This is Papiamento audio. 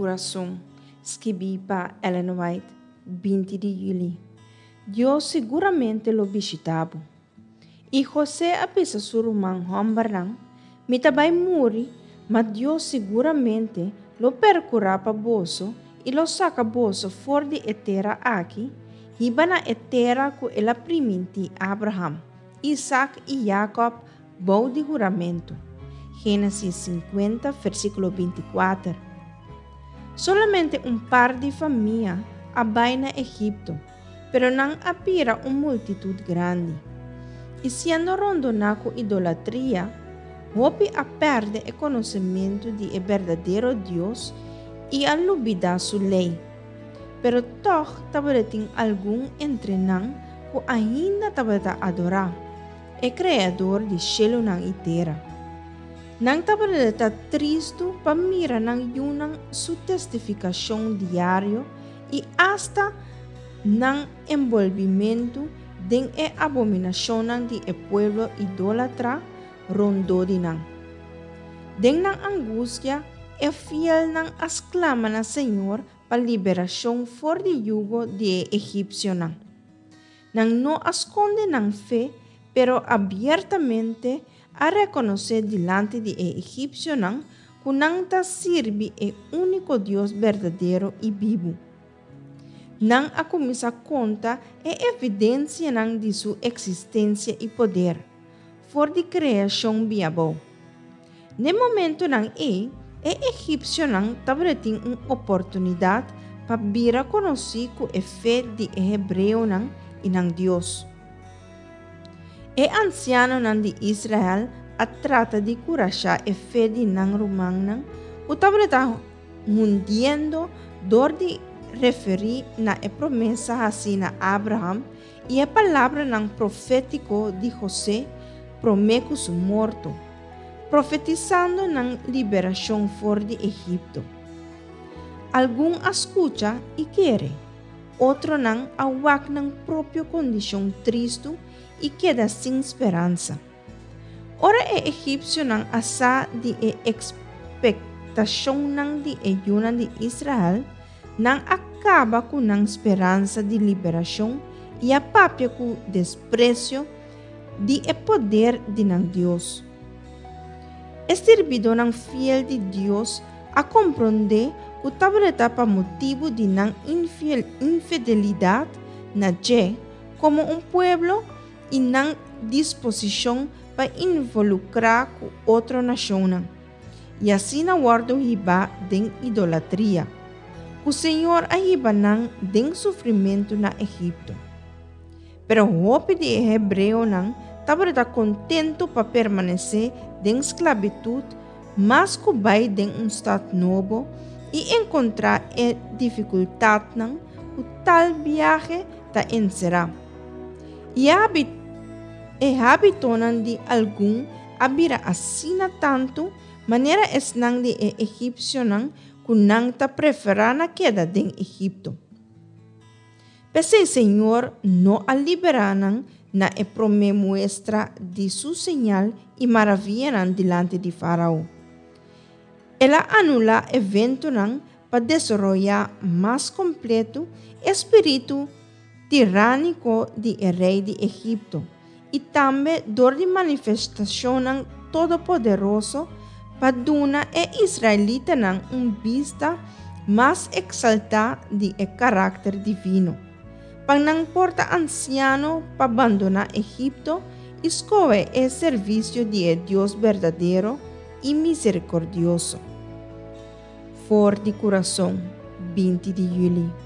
Kurason, skibí pa Ellen White, 20 di yüli. Dios siguramente lo bishitá bo. I José a bisa su ruman hòmbernan, Mi ta bai muri, ma Dios siguramente lo perkurá pa boso i lo saka boso for di e tera aki, hiba na e tera ku el a primintí Abraham, Isak i Jakòb bou di huramentu. Génesis 50, versíkulo 24. Solamente un par di famia a bai na Egipto, pero nan a bira un multitut grandi. I siendo rondoná ku idolatria, hopi a pèrdè e konosementu di e berdadero Dios i a lubidá su lei. Pero tòg tabatin algun entre nan ku ainda tabata adorá e Kreador di shelunan i tera. Nan tabata tristu pa mira nan yunan su testifikashon diario i asta nan enbolbimentu den e abominashonnan di e pueblo idólatra rondó di nan. Den nan angustia, e fielnan a sklama na Señor pa liberashon for di yugo di e egipsionan. Nan no a skonde nan fe, pero abiertamente a rekonosé dilanti di e egipsionan ku nan ta sirbi e úniko Dios berdadero i bibu. Nan a kuminsá konta e evidensianan di su eksistensia i poder, for di kreashon bin abou. N'e momentunan ei, e egipsionan tabatin un oportunidat pa bira konosí ku e fe di e hebreonan i nan Dios. E ansianonan di Israel a trata di kurashá e fe di nan rumannan ku tabata hundiendo dor di referí na e promesa hasí na Abraham i e palabranan profétiko di José promé ku su morto, profetisando nan liberashon for di Egipto. Algun a skucha i kere, otronan a wak nan propio kondishon tristu i keda sin speransa. Ora e egipsionan a sa di e ekspektashonnan di e yunan di Israel, nan a kaba ku nan speransa di liberashon i a papia ku despresio di e poder di nan Dios. E sirbidónan fiel di Dios a komprondé ku tabata pa motibu di nan infidelidat na dje komo un pueblo i nan disposishon pa involukrá ku otro nashonnan, i asina wòrdu hibá den idolatria, ku Señor a hiba nan den sufrimentu na Egipto. Pero hopi di e hebreonan tabata kontentu pa permanesé den sklabitut mas ku bai den un stat nobo i enkontrá e difikultatnan ku tal biahe ta enserá. I e hábitonan di algun a bira asina tantu manera esnan di e egipsionan ku nan ta preferá na keda den Egipto. P'esei Señor no a liberá nan na e promé muestra di su señal i maravianan dilanti di Fárao. El a anulá eventonan pa desaroyá mas kompletu e spiritu tirániko di e rei di Egipto i tambe dor di manifestashonnan todopoderoso pa duna e israelitanan un bista mas eksaltá di e karakter divino, pa nan por ta ansiano pa bandoná Egipto i skohe e servisio di e Dios berdadero i miserikordioso. For di kurason, 20 di yüli.